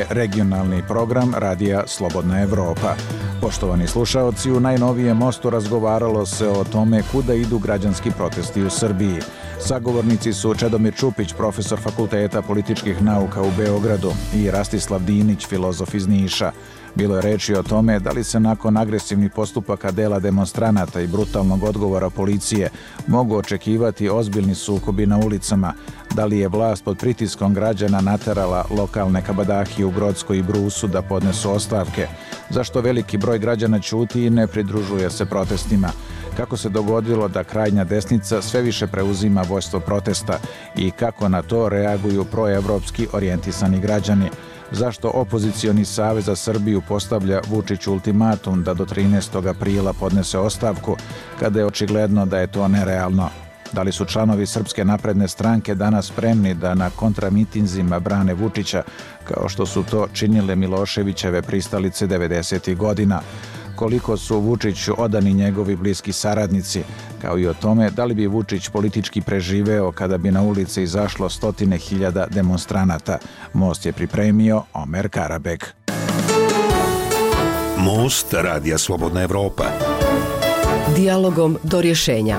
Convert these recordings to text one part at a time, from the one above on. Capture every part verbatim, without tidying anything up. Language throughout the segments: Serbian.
je regionalni program Radija Slobodna Evropa. Poštovani slušaoci, u najnovijem Mostu razgovaralo se o tome kuda idu građanski protesti u Srbiji. Sagovornici su Čedomir Čupić, profesor Fakulteta političkih nauka u Beogradu, i Rastislav Dinić, filozof iz Niša. Bilo je reči o tome da li se nakon agresivnih postupaka dela demonstranata i brutalnog odgovora policije mogu očekivati ozbiljni sukobi na ulicama, da li je vlast pod pritiskom građana naterala lokalne kabadahije u Grockoj i Brusu da podnesu ostavke, zašto veliki broj građana ćuti i ne pridružuje se protestima, kako se dogodilo da krajnja desnica sve više preuzima vođstvo protesta i kako na to reaguju proevropski orijentisani građani. Zašto opozicioni Savez za Srbiju postavlja Vučiću ultimatum da do trinaestog aprila podnese ostavku, kada je očigledno da je to nerealno? Da li su članovi Srpske napredne stranke danas spremni da na kontramitinzima brane Vučića, kao što su to činile Miloševićeve pristalice devedesetih godina? Koliko su Vučiću odani njegovi bliski saradnici, kao i o tome da li bi Vučić politički preživeo kada bi na ulici izašlo stotine hiljada demonstranata. Most je pripremio Omer Karabek. Most Radija Slobodna Evropa. Dijalogom do rješenja.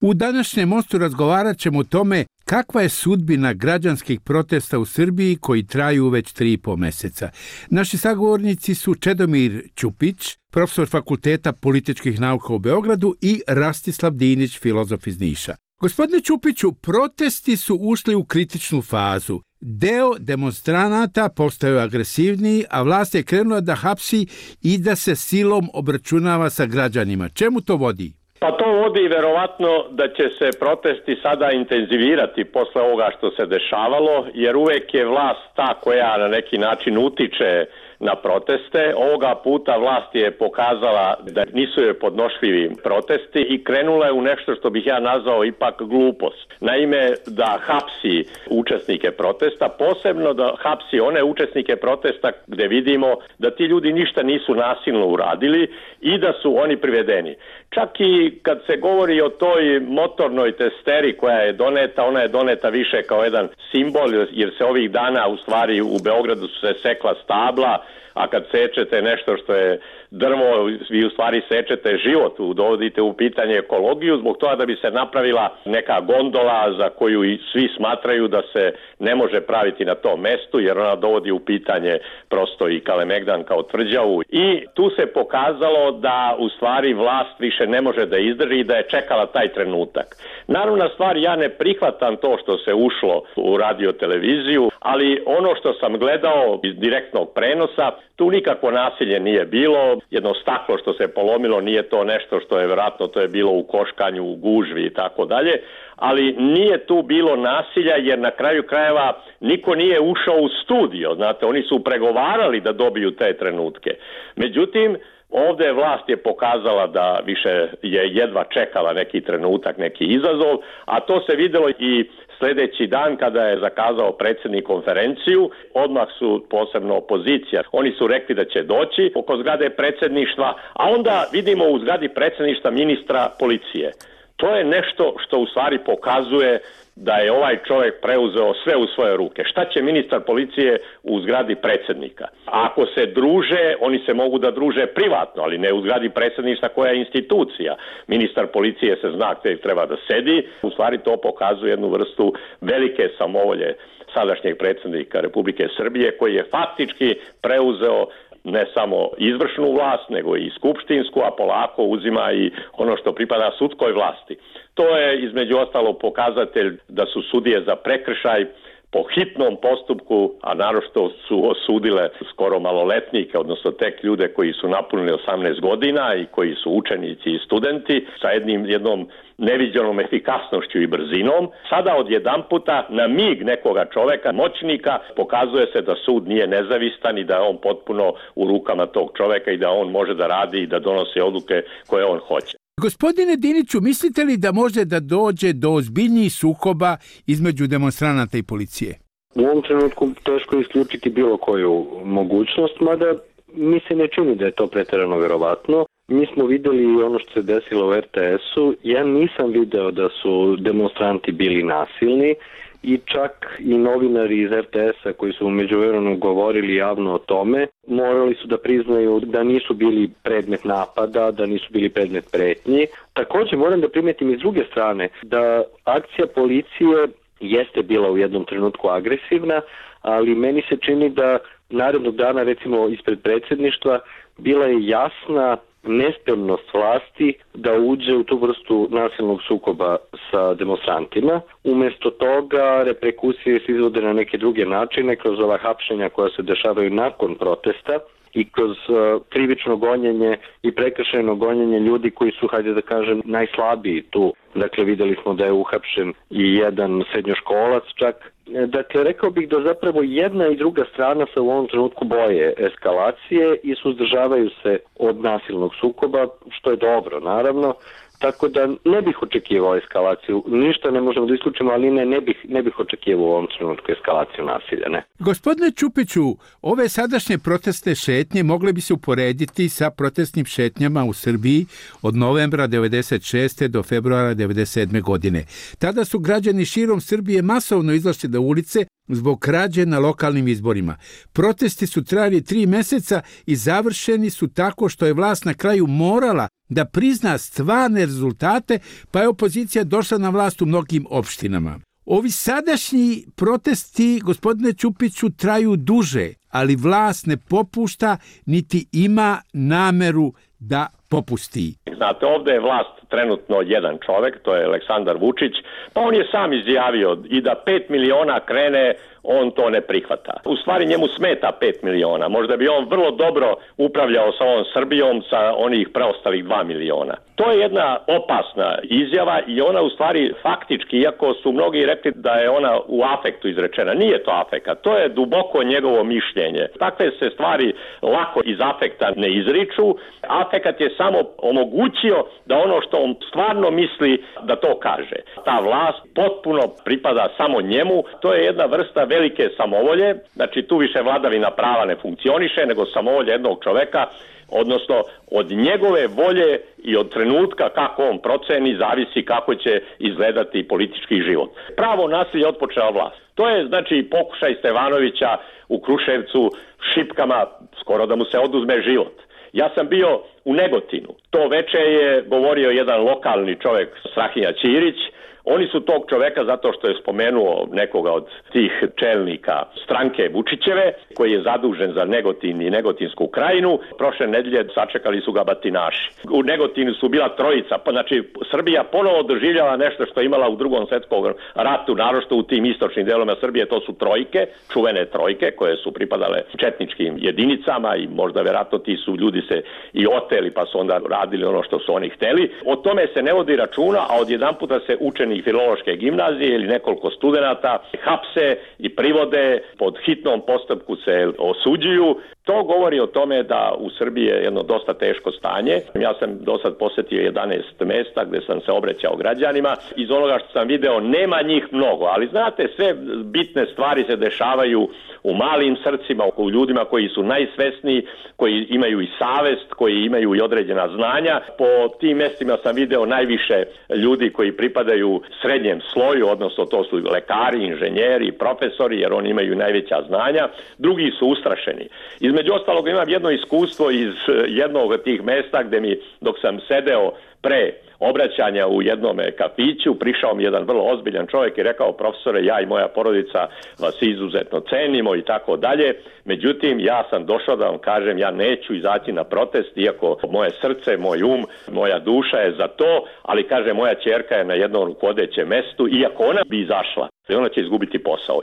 U današnjem Mostu razgovarat ćemo o tome kakva je sudbina građanskih protesta u Srbiji koji traju već tri i po mjeseca. Naši sagovornici su Čedomir Čupić, profesor Fakulteta političkih nauka u Beogradu, i Rastislav Dinić, filozof iz Niša. Gospodine Čupiću, protesti su ušli u kritičnu fazu. Deo demonstranata postaju agresivniji, a vlast je krenula da hapsi i da se silom obračunava sa građanima. Čemu to vodi? Pa to vodi verovatno da će se protesti sada intenzivirati posle ovoga što se dešavalo, jer uvek je vlast ta koja na neki način utiče na proteste. Ovoga puta vlast je pokazala da nisu joj podnošljivi protesti i krenula je u nešto što bih ja nazvao ipak glupost. Naime, da hapsi učesnike protesta, posebno da hapsi one učesnike protesta gde vidimo da ti ljudi ništa nisu nasilno uradili i da su oni privedeni. Čak i kad se govori o toj motornoj testeri koja je doneta, ona je doneta više kao jedan simbol, jer se ovih dana u stvari u Beogradu su se sekla stabla, a kad sečete nešto što je drvo, vi u stvari sečete život, dovodite u pitanje ekologiju, zbog toga da bi se napravila neka gondola za koju i svi smatraju da se ne može praviti na tom mestu, jer ona dovodi u pitanje prosto i Kalemegdan kao tvrđavu. I tu se pokazalo da u stvari vlast više ne može da izdrži i da je čekala taj trenutak. Naravna stvar, ja ne prihvatam to što se ušlo u radio televiziju, ali ono što sam gledao iz direktnog prenosa, tu nikakvo nasilje nije bilo, jedno staklo što se polomilo nije to nešto što je vjerojatno, to je bilo u koškanju, u gužvi i tako dalje, ali nije tu bilo nasilja jer na kraju krajeva niko nije ušao u studio, znate, oni su pregovarali da dobiju te trenutke. Međutim, ovdje vlast je pokazala da više je jedva čekala neki trenutak, neki izazov, a to se vidjelo i sljedeći dan kada je zakazao predsjednik konferenciju, odmah su posebno opozicija. Oni su rekli da će doći oko zgrade predsjedništva, a onda vidimo u zgradi predsjedništva ministra policije. To je nešto što u stvari pokazuje da je ovaj čovjek preuzeo sve u svoje ruke. Šta će ministar policije u zgradi predsjednika? Ako se druže, oni se mogu da druže privatno, ali ne u zgradi predsjedništva koja je institucija. Ministar policije se zna gdje treba da sedi. U stvari to pokazuje jednu vrstu velike samovolje sadašnjeg predsjednika Republike Srbije, koji je faktički preuzeo ne samo izvršnu vlast, nego i skupštinsku, a polako uzima i ono što pripada sudskoj vlasti. To je između ostalo pokazatelj da su sudije za prekršaj po hitnom postupku, a naročito su osudile skoro maloletnike, odnosno tek ljude koji su napunili osamnaest godina i koji su učenici i studenti, sa jednim, jednom neviđenom efikasnošću i brzinom. Sada odjedanputa na mig nekoga čoveka, moćnika, pokazuje se da sud nije nezavistan i da je on potpuno u rukama tog čoveka i da on može da radi i da donosi odluke koje on hoće. Gospodine Diniću, mislite li da može da dođe do ozbiljnijih sukoba između demonstranata i policije? U ovom trenutku teško isključiti bilo koju mogućnost, mada mi se ne čini da je to pretjerano verovatno. Mi smo videli ono što se desilo u er te esu. Ja nisam video da su demonstranti bili nasilni i čak i novinari iz er te es-a koji su u međuvremenu govorili javno o tome, morali su da priznaju da nisu bili predmet napada, da nisu bili predmet pretnji. Također moram da primetim iz druge strane da akcija policije jeste bila u jednom trenutku agresivna, ali meni se čini da narednog dana, recimo ispred predsjedništva, bila je jasna nespremnost vlasti da uđe u tu vrstu nasilnog sukoba sa demonstrantima. Umesto toga reperkusije se izvode na neke druge načine, kroz ova hapšenja koja se dešavaju nakon protesta i kroz uh, krivično gonjenje i prekršajno gonjenje ljudi koji su, hajde da kažem, najslabiji tu. Dakle, videli smo da je uhapšen i jedan srednjoškolac čak. Dakle, rekao bih da zapravo jedna i druga strana se u ovom trenutku boje eskalacije i suzdržavaju se od nasilnog sukoba, što je dobro, naravno. Tako da ne bih očekivao eskalaciju. Ništa ne možemo da isključimo, ali ne, ne bih, ne bih očekivao u ovom trenutku eskalaciju nasilja, ne. Gospodine Čupiću, ove sadašnje protestne šetnje mogle bi se uporediti sa protestnim šetnjama u Srbiji od novembra devedeset šeste do februara devedeset sedme godine. Tada su građani širom Srbije masovno izašli na ulice zbog krađe na lokalnim izborima. Protesti su trajali tri meseca i završeni su tako što je vlast na kraju morala da prizna stvarne rezultate, pa je opozicija došla na vlast u mnogim opštinama. Ovi sadašnji protesti, gospodine Čupiću, traju duže, ali vlast ne popušta niti ima nameru da popusti. Znate, ovdje je vlast trenutno jedan čovjek, to je Aleksandar Vučić, pa on je sam izjavio i da pet miliona krene, on to ne prihvata. U stvari njemu smeta pet miliona. Možda bi on vrlo dobro upravljao sa ovom Srbijom sa onih preostalih dva miliona. To je jedna opasna izjava i ona u stvari faktički, iako su mnogi rekli da je ona u afektu izrečena, nije to afekat, to je duboko njegovo mišljenje. Takve se stvari lako iz afekta ne izriču. Afekat je samo omogućio da ono što on stvarno misli da to kaže. Ta vlast potpuno pripada samo njemu, to je jedna vrsta velike samovolje, znači tu više vladavina prava ne funkcioniše, nego samovolja jednog čoveka, odnosno od njegove volje i od trenutka kako on proceni zavisi kako će izgledati politički život. Pravo nasilje otpočela vlast. To je znači pokušaj Stevanovića u Kruševcu šipkama skoro da mu se oduzme život. Ja sam bio u Negotinu. To veče je govorio jedan lokalni čovjek, Strahinja Ćirić. Oni su tog čoveka, zato što je spomenuo nekoga od tih čelnika stranke Vučićeve, koji je zadužen za Negotin i Negotinsku krajinu, prošle nedelje sačekali su ga batinaši. U Negotinu su bila trojica, pa znači Srbija ponovo doživljava nešto što je imala u drugom svjetskom ratu, naročito u tim istočnim delovima Srbije, to su trojke, čuvene trojke koje su pripadale četničkim jedinicama i možda vjerojatno ti su ljudi se i oteli pa su onda radili ono što su oni hteli. O tome se ne vodi računa, a odjedanputa se učeni Filološke gimnazije ili nekoliko studenata hapse i privode, pod hitnom postupku se osuđuju. To govori o tome da u Srbiji je jedno dosta teško stanje. Ja sam do sad posjetio jedanaest mjesta gdje sam se obraćao građanima. Iz onoga što sam video nema njih mnogo, ali znate, sve bitne stvari se dešavaju u malim srcima, u ljudima koji su najsvesniji, koji imaju i savest, koji imaju i određena znanja. Po tim mjestima sam video najviše ljudi koji pripadaju srednjem sloju, odnosno to su lekari, inženjeri, profesori, jer oni imaju najveća znanja. Drugi su ustrašeni. Između ostalog imam jedno iskustvo iz jednog od tih mjesta gdje mi, dok sam sedeo pre obraćanja u jednom kafiću, prišao mi jedan vrlo ozbiljan čovjek i rekao: profesore, ja i moja porodica vas izuzetno cenimo i tako dalje. Međutim, ja sam došao da vam kažem, ja neću izaći na protest, iako moje srce, moj um, moja duša je za to, ali kaže, moja ćerka je na jednom rukovodećem mestu, iako ona bi izašla, ona će izgubiti posao.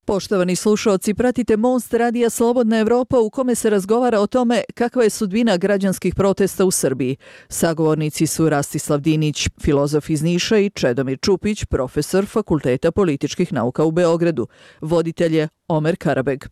Poštovani slušaoci, pratite Most radija Slobodna Evropa u kome se razgovara o tome kakva je sudbina građanskih protesta u Srbiji. Sagovornici su Rastislav Dinić, filozof iz Niša, i Čedomir Čupić, profesor Fakulteta političkih nauka u Beogradu. Voditelj je Omer Karabeg.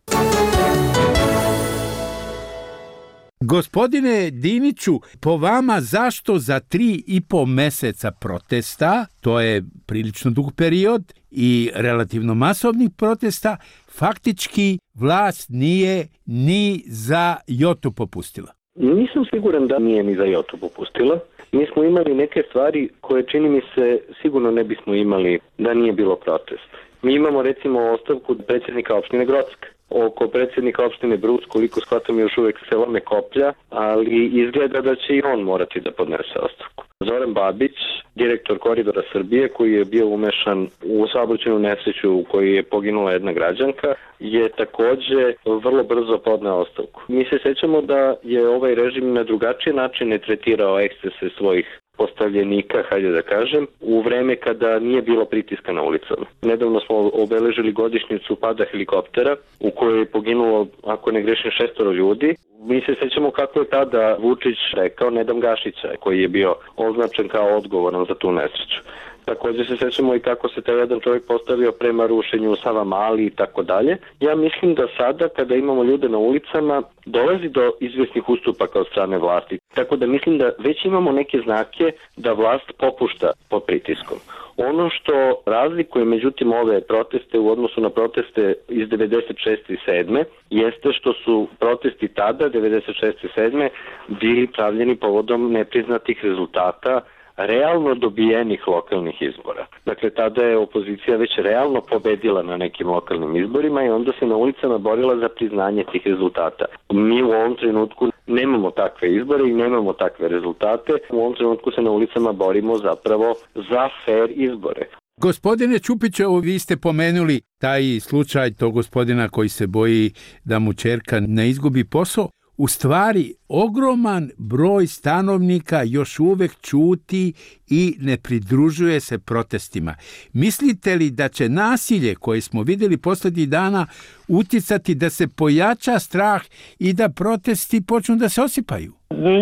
Gospodine Diniću, po vama zašto za tri i po meseca protesta, to je prilično dug period i relativno masovnih protesta, faktički vlast nije ni za jotu popustila? Nisam siguran da nije ni za jotu popustila. Mi smo imali neke stvari koje čini mi se sigurno ne bismo imali da nije bilo protesta. Mi imamo recimo ostavku predsjednika opštine Grocka. Oko predsjednika opštine Brus, koliko shvatam, još uvek se lome koplja, ali izgleda da će i on morati da podnese ostavku. Zoran Babić, direktor Koridora Srbije, koji je bio umešan u saobraćajnu nesreću u kojoj je poginula jedna građanka, je takođe vrlo brzo podneo ostavku. Mi se sećamo da je ovaj režim na drugačije načine tretirao ekscese svojih postavljenika, hajde da kažem, u vreme kada nije bilo pritiska na ulicama. Nedavno smo obeležili godišnjicu pada helikoptera u kojoj je poginulo, ako ne grešim, šestoro ljudi. Mi se sećamo kako je tada Vučić rekao ne dam Gašića, koji je bio označen kao odgovoran za tu nesreću. Također se sećamo i kako se taj jedan čovjek postavio prema rušenju Savamali i tako dalje. Ja mislim da sada kada imamo ljude na ulicama dolazi do izvjesnih ustupaka od strane vlasti. Tako da mislim da već imamo neke znake da vlast popušta pod pritiskom. Ono što razlikuje međutim ove proteste u odnosu na proteste iz devedeset šeste i sedme jeste što su protesti tada, devedeset šeste i sedme bili pravljeni povodom nepriznatih rezultata realno dobijenih lokalnih izbora. Dakle, tada je opozicija već realno pobedila na nekim lokalnim izborima i onda se na ulicama borila za priznanje tih rezultata. Mi u ovom trenutku nemamo takve izbore i nemamo takve rezultate. U ovom trenutku se na ulicama borimo zapravo za fair izbore. Gospodine Čupićevo, vi ste pomenuli taj slučaj tog gospodina koji se boji da mu ćerka ne izgubi posao. U stvari, ogroman broj stanovnika još uvek ćuti i ne pridružuje se protestima. Mislite li da će nasilje koje smo vidjeli posljednjih dana uticati da se pojača strah i da protesti počnu da se osipaju?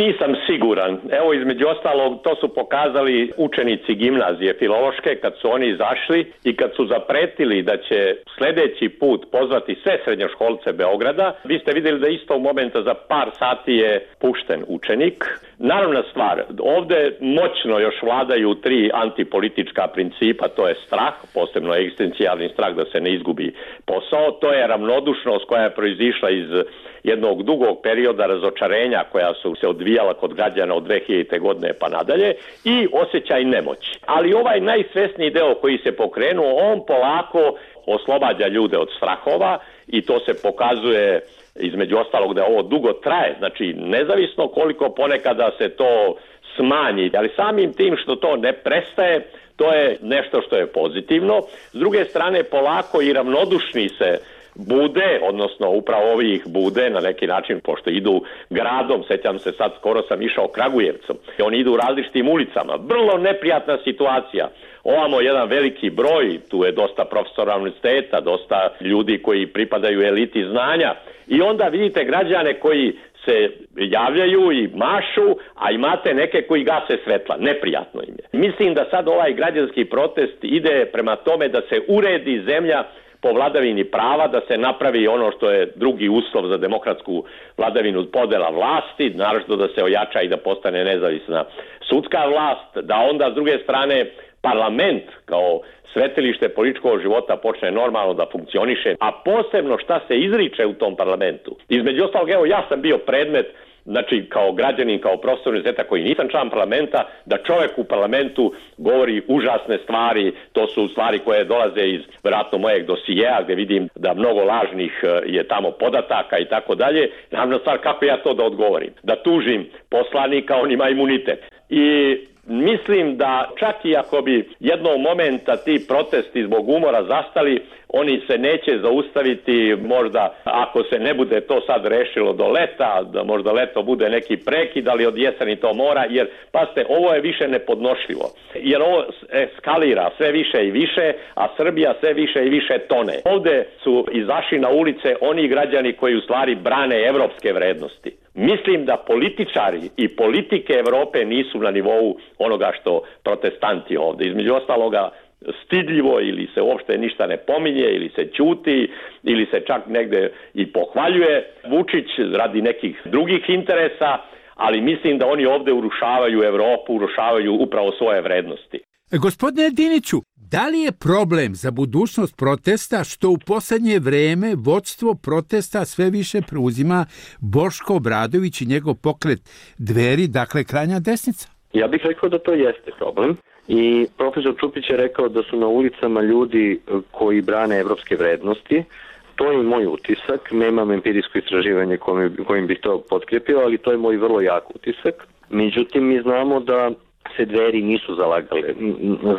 Nisam siguran. Evo, između ostalog, to su pokazali učenici gimnazije filološke kad su oni izašli i kad su zapretili da će sljedeći put pozvati sve srednjoškolce Beograda. Vi ste vidjeli da istog momenta za par sati je pušten učenik. Naravna stvar, ovdje moćno još vladaju tri antipolitička principa, to je strah, posebno egzistencijalni strah da se ne izgubi posao, to je ravnodušnost koja je proizišla iz jednog dugog perioda razočarenja koja su se odvijala kod građana od dve hiljadite godine pa nadalje i osjećaj nemoći. Ali ovaj najsvesniji deo koji se pokrenuo, on polako oslobađa ljude od strahova i to se pokazuje između ostalog da ovo dugo traje, znači nezavisno koliko ponekada se to smanji, ali samim tim što to ne prestaje, to je nešto što je pozitivno. S druge strane, polako i ravnodušni se bude, odnosno upravo ovi ih bude na neki način, pošto idu gradom, sećam se sad, skoro sam išao Kragujevcom, oni idu različitim ulicama, vrlo neprijatna situacija. Ovamo jedan veliki broj, tu je dosta profesora univerziteta, dosta ljudi koji pripadaju eliti znanja i onda vidite građane koji se javljaju i mašu, a imate neke koji gase svetla. Neprijatno im je. Mislim da sad ovaj građanski protest ide prema tome da se uredi zemlja po vladavini prava, da se napravi ono što je drugi uslov za demokratsku vladavinu podela vlasti, naravno da se ojača i da postane nezavisna sudska vlast, da onda s druge strane parlament kao svetilište političkog života počne normalno da funkcioniše, a posebno šta se izriče u tom parlamentu. Između ostalog, evo, ja sam bio predmet, znači kao građanin, kao profesor univerziteta koji nisam član parlamenta, da čovjek u parlamentu govori užasne stvari, to su stvari koje dolaze iz vjerojatno mojeg dosijeja gdje vidim da mnogo lažnih je tamo podataka i tako dalje. Naravno stvar, kako ja to da odgovorim? Da tužim poslanika, on ima imunitet. I mislim da čak i ako bi jednog momenta ti protesti zbog umora zastali, oni se neće zaustaviti, možda ako se ne bude to sad rešilo do leta, da možda leto bude neki prekid, ali od jeseni to mora, jer pazite, ovo je više nepodnošljivo, jer ovo eskalira sve više i više, a Srbija sve više i više tone. Ovdje su izašli na ulice oni građani koji u stvari brane evropske vrednosti. Mislim da političari i politike Evrope nisu na nivou onoga što protestanti ovdje. Između ostaloga stidljivo ili se uopšte ništa ne pominje ili se ćuti ili se čak negde i pohvaljuje Vučić radi nekih drugih interesa, ali mislim da oni ovdje urušavaju Evropu, urušavaju upravo svoje vrednosti. Gospodine Diniću, Da li je problem za budućnost protesta što u posljednje vreme vodstvo protesta sve više preuzima Boško Obradović i njegov pokret Dveri, dakle krajnja desnica? Ja bih rekao da to jeste problem. I profesor Čupić je rekao da su na ulicama ljudi koji brane evropske vrednosti. To je moj utisak, nemam empirijsko istraživanje kojim bih to potkrepio, ali to je moj vrlo jak utisak. Međutim, mi znamo da se Dveri nisu zalagale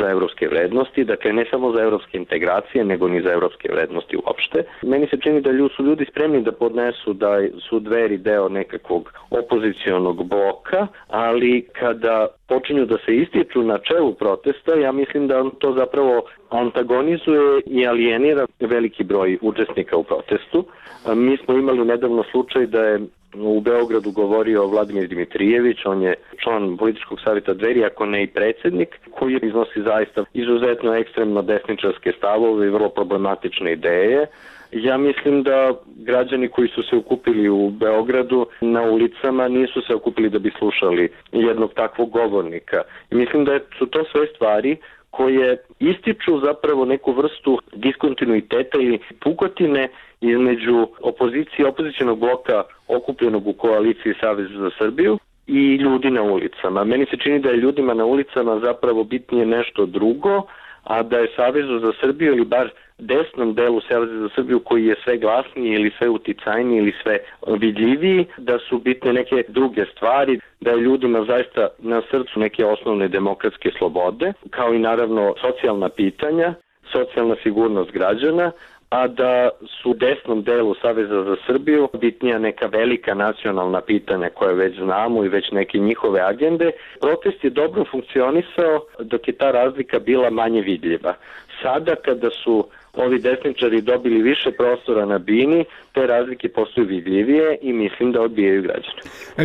za evropske vrednosti, dakle ne samo za evropske integracije, nego ni za evropske vrednosti uopšte. Meni se čini da su ljudi spremni da podnesu da su Dveri deo nekakvog opozicionog bloka, ali kada počinju da se ističu na čelu protesta, ja mislim da to zapravo antagonizuje i alijenira veliki broj učesnika u protestu. Mi smo imali nedavno slučaj da je u Beogradu govorio Vladimir Dimitrijević, on je član političkog savjeta Dveri, ako ne i predsjednik, koji iznosi zaista izuzetno ekstremno desničarske stavove i vrlo problematične ideje. Ja mislim da građani koji su se okupili u Beogradu na ulicama nisu se okupili da bi slušali jednog takvog govornika. I mislim da su to sve stvari koje ističu zapravo neku vrstu diskontinuiteta ili pukotine između opozicije, opozicionog bloka okupljenog u koaliciji Savez za Srbiju i ljudi na ulicama. Meni se čini da je ljudima na ulicama zapravo bitnije nešto drugo, a da je Savezu za Srbiju ili bar desnom delu Saveza za Srbiju koji je sve glasniji ili sve uticajniji ili sve vidljiviji, da su bitne neke druge stvari, da je ljudima zaista na srcu neke osnovne demokratske slobode, kao i naravno socijalna pitanja, socijalna sigurnost građana, a da su u desnom delu Saveza za Srbiju bitnija neka velika nacionalna pitanja koje već znamo i već neke njihove agende. Protest je dobro funkcionisao dok je ta razlika bila manje vidljiva. Sada kada su ovi desničari dobili više prostora na bini, te razlike postaju vidljivije i mislim da odbijaju građane.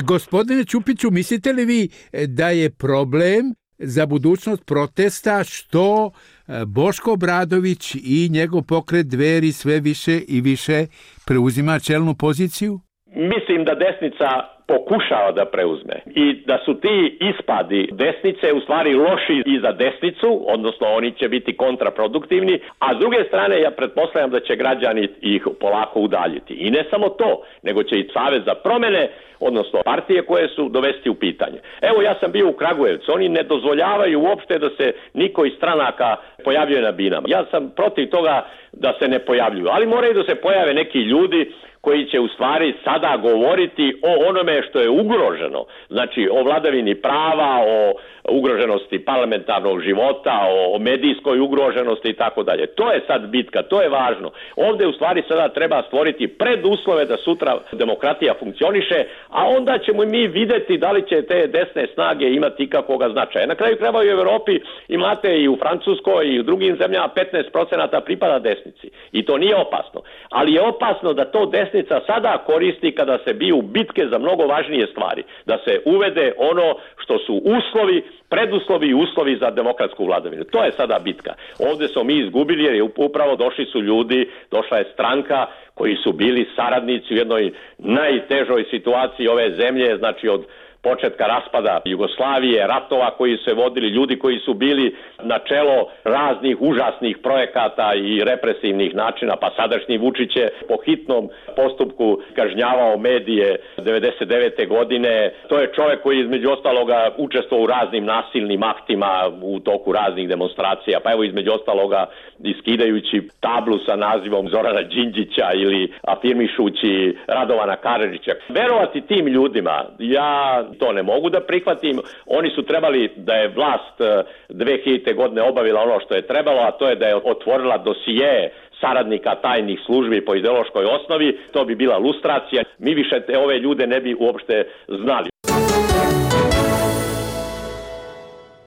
Gospodine Ćupiću, mislite li vi da je problem za budućnost protesta što Boško Obradović i njegov pokret Dveri sve više i više preuzima čelnu poziciju? Mislim da desnica pokušava da preuzme i da su ti ispadi desnice u stvari loši i za desnicu, odnosno oni će biti kontraproduktivni, a s druge strane ja pretpostavljam da će građani ih polako udaljiti. I ne samo to, nego će i Savez za promene, odnosno partije koje su dovesti u pitanje. Evo ja sam bio u Kragujevcu, oni ne dozvoljavaju uopšte da se niko iz stranaka pojavljuje na binama. Ja sam protiv toga da se ne pojavljuju, ali moraju da se pojave neki ljudi koji će u stvari sada govoriti o onome što je ugroženo, znači o vladavini prava, o ugroženosti parlamentarnog života, o medijskoj ugroženosti i tako dalje. To je sad bitka, to je važno. Ovdje u stvari sada treba stvoriti preduslove da sutra demokratija funkcioniše, a onda ćemo mi vidjeti da li će te desne snage imati ikakvoga značaja. Na kraju krajeva i u Europi imate i u Francuskoj i u drugim zemljama petnaest procenata pripada desnici. I to nije opasno. Ali je opasno da to desnica sada koristi kada se biju bitke za mnogo važnije stvari. Da se uvede ono što su uslovi, preduslovi i uslovi za demokratsku vladavinu. To je sada bitka. Ovdje smo mi izgubili jer je upravo došli su ljudi, došla je stranka koji su bili saradnici u jednoj najtežoj situaciji ove zemlje, znači od početka raspada Jugoslavije, ratova koji su se vodili, ljudi koji su bili na čelo raznih užasnih projekata i represivnih načina, pa sadašnji Vučić je po hitnom postupku kažnjavao medije devedeset devete godine. To je čovjek koji između ostaloga učestvovao u raznim nasilnim aktima u toku raznih demonstracija, pa evo između ostaloga iskidajući tablu sa nazivom Zorana Đinđića ili afirmišući Radovana Karadžića. Verovati tim ljudima, ja to ne mogu da prihvatim. Oni su trebali da je vlast dve hiljadite godine obavila ono što je trebalo, a to je da je otvorila dosije saradnika tajnih službi po ideološkoj osnovi. To bi bila lustracija. Mi više te ove ljude ne bi uopšte znali.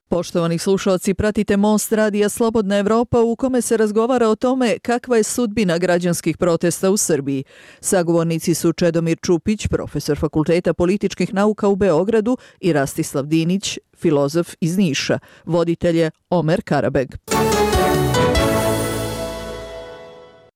Poštovani slušalci, pratite Most radija Slobodna Evropa u kome se razgovara o tome kakva je sudbina građanskih protesta u Srbiji. Sagovornici su Čedomir Čupić, profesor Fakulteta političkih nauka u Beogradu i Rastislav Dinić, filozof iz Niša. Voditelj je Omer Karabeg.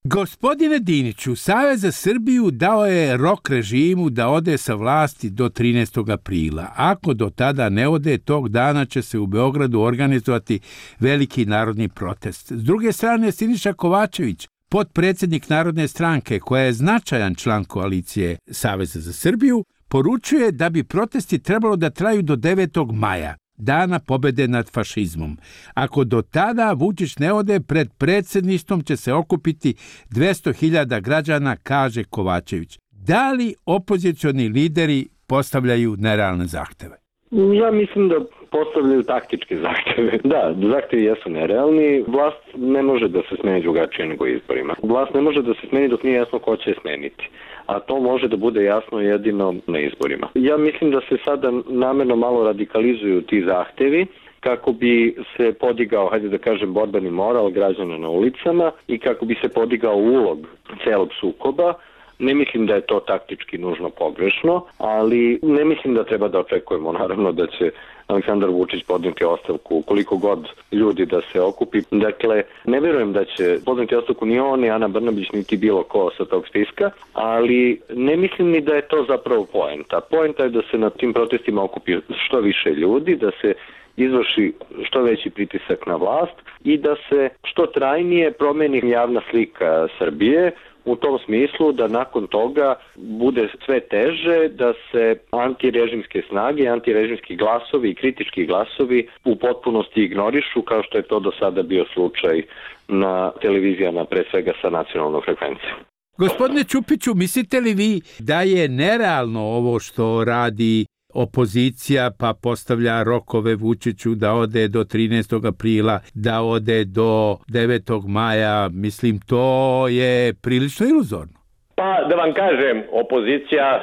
Gospodine Diniću, Savez za Srbiju dao je rok režimu da ode sa vlasti do trinaestog aprila. Ako do tada ne ode, tog dana će se u Beogradu organizovati veliki narodni protest. S druge strane, Siniša Kovačević, potpredsjednik Narodne stranke, koja je značajan član koalicije Saveza za Srbiju, poručuje da bi protesti trebalo da traju do devetog maja, dana pobede nad fašizmom. Ako do tada Vučić ne ode, pred predsjedništvom će se okupiti dvesta hiljada građana, kaže Kovačević. Da li opozicioni lideri postavljaju nerealne zahteve? Ja mislim da postavljaju taktičke zahteve. Da, zahtevi jesu nerealni. Vlast ne može da se smeni drugačije nego izborima. Vlast ne može da se smeni dok nije jasno ko će je smeniti. A to može da bude jasno jedino na izborima. Ja mislim da se sada namerno malo radikalizuju ti zahtevi kako bi se podigao, hajde da kažem, borbeni moral građana na ulicama i kako bi se podigao ulog celog sukoba. Ne mislim da je to taktički nužno pogrešno, ali ne mislim da treba da očekujemo naravno da će Aleksandar Vučić podneti ostavku koliko god ljudi da se okupi. Dakle, ne verujem da će podneti ostavku ni on, ni Ana Brnabić, niti bilo ko sa tog spiska, ali ne mislim ni da je to zapravo poenta. Poenta je da se na tim protestima okupi što više ljudi, da se izvrši što veći pritisak na vlast i da se što trajnije promeni javna slika Srbije, u tom smislu da nakon toga bude sve teže da se antirežimske snage, antirežimski glasovi i kritički glasovi u potpunosti ignorišu, kao što je to do sada bio slučaj na televizijama, pre svega sa nacionalnom frekvencijom. Gospodine Čupiću, mislite li vi da je nerealno ovo što radi opozicija, pa postavlja rokove Vučiću da ode do trinaestog aprila, da ode do devetog maja? Mislim, to je prilično iluzorno. Pa, da vam kažem, opozicija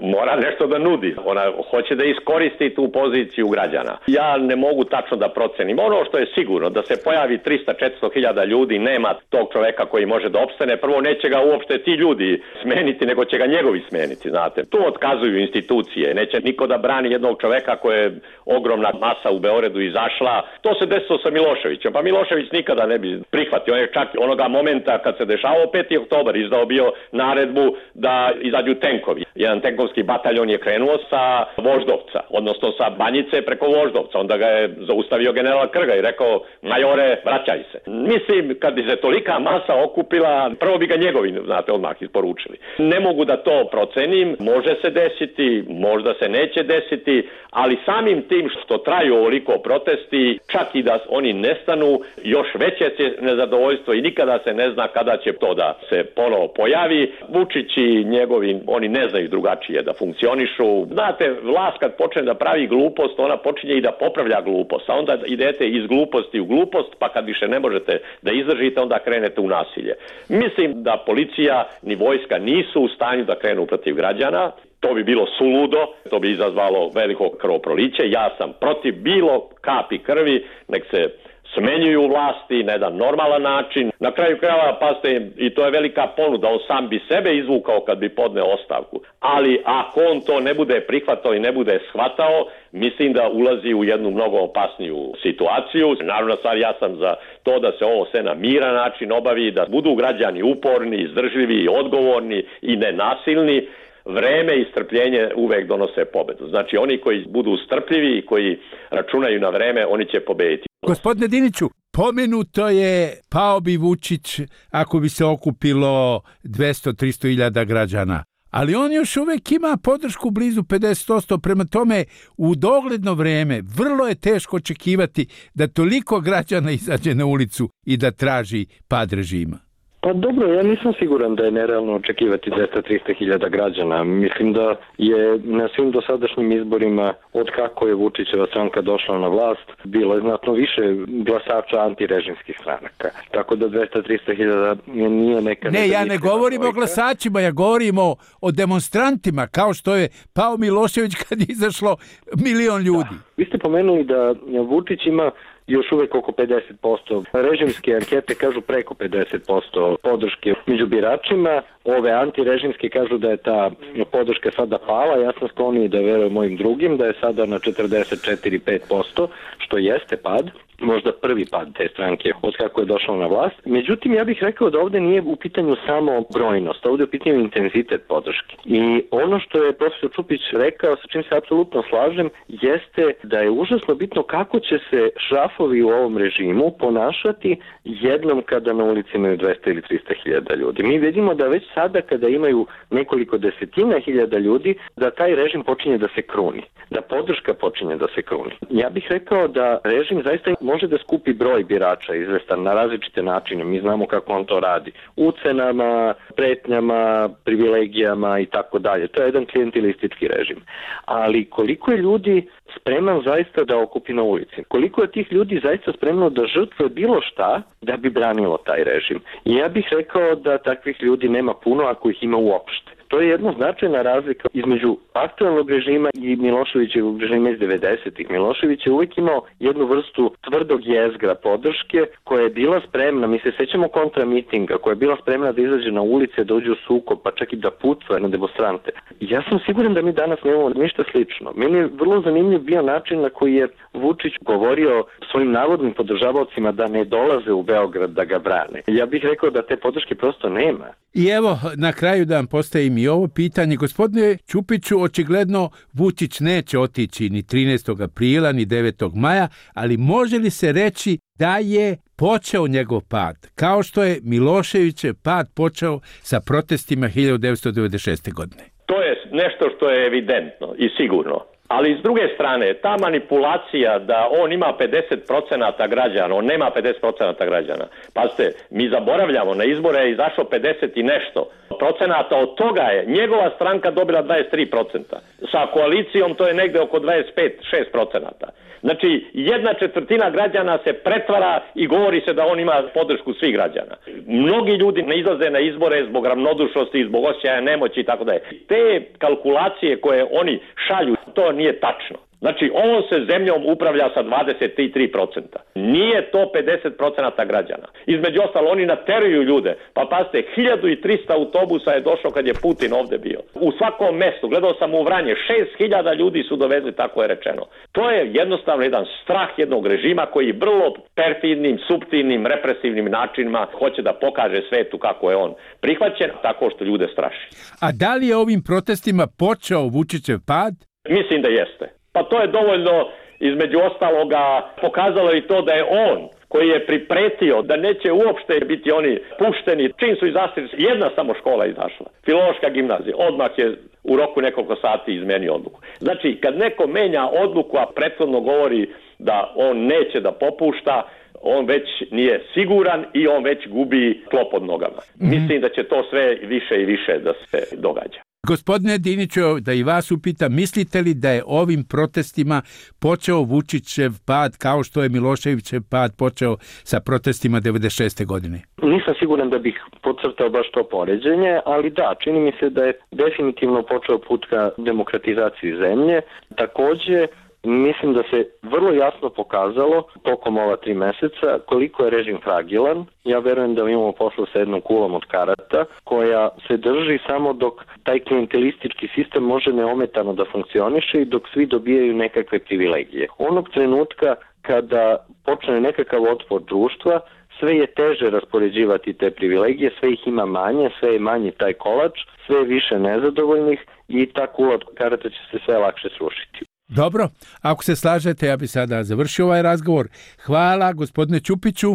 mora nešto da nudi. Ona hoće da iskoristi tu poziciju građana. Ja ne mogu tačno da procenim. Ono što je sigurno, da se pojavi trista do četiristo hiljada ljudi, nema tog čoveka koji može da opstane. Prvo, neće ga uopšte ti ljudi smeniti, nego će ga njegovi smeniti, znate. Tu otkazuju institucije. Neće niko da brani jednog čoveka koje je ogromna masa u Beogradu izašla. To se desilo sa Miloševićem. Pa Milošević nikada ne bi prihvatio. On je čak onoga momenta kad se dešavao peti oktobar izdao bio naredbu da izađu tenkovi. Jedan tenkovski bataljon je krenuo sa Voždovca, odnosno sa Banjice preko Voždovca. Onda ga je zaustavio general Krga i rekao: majore, vraćaj se. Mislim, kad bi se tolika masa okupila, prvo bi ga njegovi, znate, odmah isporučili. Ne mogu da to procenim, može se desiti, možda se neće desiti, ali samim tim što traju ovoliko protesti, čak i da oni nestanu, još veće će nezadovoljstvo i nikada se ne zna kada će to da se ponovo pojavi. Vučić i njegovi, oni ne znaju drugačije da funkcionišu. Znate, vlast kad počne da pravi glupost, ona počinje i da popravlja glupost, a onda idete iz gluposti u glupost, pa kad više ne možete da izdržite, onda krenete u nasilje. Mislim da policija ni vojska nisu u stanju da krenu protiv građana. To bi bilo suludo, to bi izazvalo veliko krvoproliće. Ja sam protiv bilo kapi krvi, nek se smenjuju vlasti na jedan normalan način. Na kraju krajeva, pazite, i to je velika ponuda, on sam bi sebe izvukao kad bi podneo ostavku. Ali ako on to ne bude prihvatao i ne bude shvatao, mislim da ulazi u jednu mnogo opasniju situaciju. Naravno, stvar, ja sam za to da se ovo sve na miran način obavi, da budu građani uporni, izdržljivi, odgovorni i nenasilni. Vreme i strpljenje uvek donose pobedu. Znači, oni koji budu strpljivi i koji računaju na vreme, oni će pobediti. Gospodine Diniću, pomenuto je pao bi Vučić ako bi se okupilo dvesta do trista hiljada građana. Ali on još uvek ima podršku blizu pedeset posto, prema tome u dogledno vreme vrlo je teško očekivati da toliko građana izađe na ulicu i da traži pad režima. Pa dobro, ja nisam siguran da je nerealno očekivati dvesta do trista hiljada građana. Mislim da je na svim dosadašnjim izborima, od kako je Vučićeva stranka došla na vlast, bilo je znatno više glasača antirežimskih stranaka. Tako da dvesta do trista hiljada nije neka... Ne, ja ne govorim o glasačima, ja govorim o demonstrantima, kao što je pao Milošević kad je izašlo milion ljudi. Da. Vi ste pomenuli da Vučić ima još uvek oko pedeset posto. Režimske ankete kažu preko pedeset posto podrške među biračima. Ove antirežimske kažu da je ta podrška sada pala. Ja sam skloniji da verujem mojim drugim, da je sada na četrdeset četiri do pet posto, što jeste pad. možda prvi pad te stranke od kako je došao na vlast. Međutim, ja bih rekao da ovde nije u pitanju samo brojnost, ovde je u pitanju intenzitet podrške. I ono što je profesor Čupić rekao, sa čim se apsolutno slažem, jeste da je užasno bitno kako će se šrafovi u ovom režimu ponašati jednom kada na ulici imaju dvesta ili trista hiljada ljudi. Mi vidimo da već sada kada imaju nekoliko desetina hiljada ljudi, da taj režim počinje da se kruni, da podrška počinje da se kruni. Ja bih rekao da režim zaista može da skupi broj birača izvestan na različite načine. Mi znamo kako on to radi. Ucenama, pretnjama, privilegijama i tako dalje. To je jedan klijentilistički režim. Ali koliko je ljudi spreman zaista da okupi na ulici? Koliko je tih ljudi zaista spremno da žrtve bilo šta da bi branilo taj režim? I ja bih rekao da takvih ljudi nema puno ako ih ima uopšte. To je jedna značajna razlika između aktualnog režima i Miloševićevog režima iz devedesetih. Milošević je uvijek imao jednu vrstu tvrdog jezgra podrške koja je bila spremna, mi se sećamo kontramitinga, koja je bila spremna da izađe na ulice, da uđe u sukob, pa čak i da pucuje na demonstrante. Ja sam siguran da mi danas nemamo ništa slično. Meni je vrlo zanimljiv bio način na koji je Vučić govorio svojim navodnim podržavaocima da ne dolaze u Beograd da ga brane. Ja bih rekao da te podrške prosto nema. I evo, na kraju da vam postavim i ovo pitanje. Gospodine Čupiću, očigledno Vučić neće otići ni trinaestog aprila, ni devetog maja, ali može li se reći da je počeo njegov pad, kao što je Miloševićev pad počeo sa protestima hiljadu devetsto devedeset šeste. godine? To je nešto što je evidentno i sigurno. Ali s druge strane, ta manipulacija da on ima pedeset procenata građana, on nema pedeset procenata građana. Pazite, mi zaboravljamo, na izbore je izašlo pedeset i nešto procenata, od toga je njegova stranka dobila dvadeset tri procenta. Sa koalicijom to je negde oko dvadeset pet do šest procenata. Znači, jedna četvrtina građana se pretvara i govori se da on ima podršku svih građana. Mnogi ljudi ne izlaze na izbore zbog ravnodušnosti, zbog osjećaja nemoći i tako dalje. Te kalkulacije koje oni šalju, to nije tačno. Znači, ovom se zemljom upravlja sa dvadeset tri procenta. Nije to pedeset procenata građana. Između ostalo, oni nateruju ljude. Pa pazite, hiljadu trista autobusa je došlo kad je Putin ovde bio. U svakom mestu, gledao sam u Vranje, šest hiljada ljudi su dovezli, tako je rečeno. To je jednostavno jedan strah jednog režima koji vrlo perfidnim, suptilnim, represivnim načinima hoće da pokaže svetu kako je on prihvaćen, tako što ljude straši. A da li je ovim protestima počeo Vučićev pad? Mislim da jeste. Pa to je dovoljno, između ostaloga, pokazalo i to da je on, koji je pripretio da neće uopšte biti oni pušteni, čim su izašli, jedna samo škola izašla, Filološka gimnazija, odmah je u roku nekoliko sati izmenio odluku. Znači, kad neko menja odluku, a prethodno govori da on neće da popušta, on već nije siguran i on već gubi tlo pod nogama. Mm-hmm. Mislim da će to sve više i više da se događa. Gospodine Diniću, da i vas upitam, mislite li da je ovim protestima počeo Vučićev pad kao što je Miloševićev pad počeo sa protestima devedeset šeste. godine? Nisam siguran da bih podcrtao baš to poređenje, ali da, čini mi se da je definitivno počeo put ka demokratizaciji zemlje. Takođe, mislim da se vrlo jasno pokazalo tokom ova tri meseca koliko je režim fragilan. Ja verujem da imamo posla sa jednom kulom od karata koja se drži samo dok taj klijentelistički sistem može neometano da funkcioniše i dok svi dobijaju nekakve privilegije. Onog trenutka kada počne nekakav otpor društva, sve je teže raspoređivati te privilegije, sve ih ima manje, sve je manji taj kolač, sve je više nezadovoljnih i ta kula od karata će se sve lakše srušiti. Dobro, ako se slažete, ja bi sada završio ovaj razgovor. Hvala gospodine Čupiću.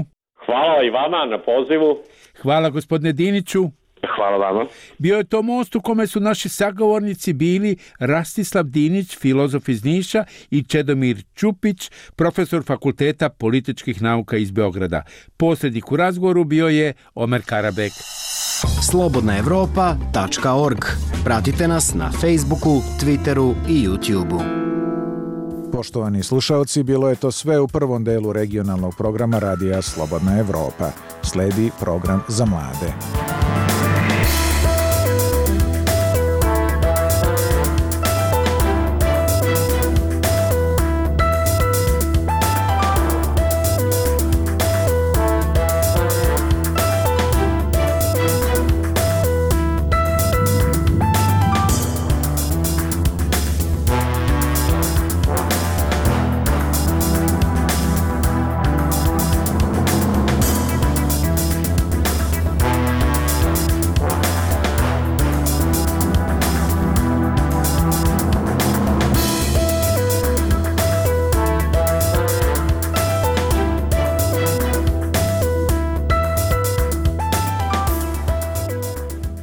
Hvala i vama na pozivu. Hvala gospodine Diniću. Hvala vama. Bio je to most u kome su naši sagovornici bili Rastislav Dinić, filozof iz Niša, i Čedomir Čupić, profesor Fakulteta političkih nauka iz Beograda. Posrednik u razgovoru bio je Omer Karabek. slobodna evropa tačka org. Pratite nas na Facebooku, Twitteru i YouTubeu. Poštovani slušaoci, bilo je to sve u prvom delu regionalnog programa radija Slobodna Evropa. Sledi program za mlade.